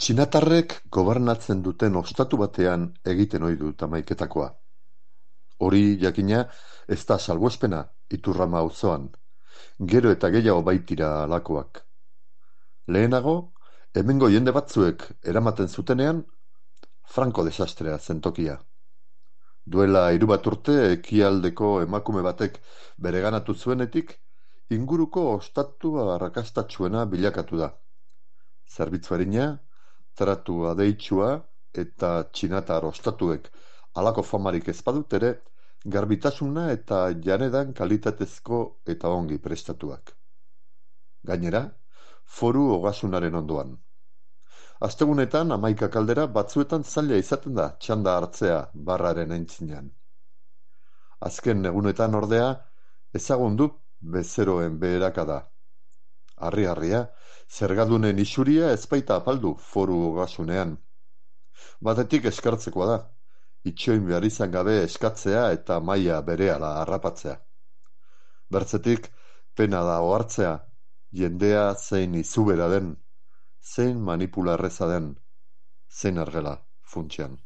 Txinatarrek gobernatzen duten ostatu batean egiten ohi dut hamaiketakoa. Hori, jakina, ez da salbuespena Iturrama auzoan. Gero eta gehiago baitira halakoak. Lehenago, hemengo jende batzuek eramaten zutenean, Franko desastrea zen tokia. Duela 3 urte ekialdeko emakume batek bereganatu zuenetik, inguruko ostatu arrakastatsuena bilakatu da. Zerbitzu arina, tratu adeitsua eta txinatar ostatuek halako famarik ez badut ere, garbitasuna eta janedan kalitatezko eta ongi prestatuak. Gainera, foru ogasunaren ondoan. Astegunetan 11 kaldera batzuetan zaila izaten da txanda hartzea barraren aintzinean. Azken egunetan ordea, ezagun du bezeroen beherakada. Harri-harria, zergadunen isuria ez baita apaldu foru ogasunean. Batetik eskartzekoa da, itxoin behar izan gabe eskatzea eta maila berehala harrapatzea. Bertzetik, pena da ohartzea, jendea zein izubera den, zein manipularreza den, zein argela funtsean.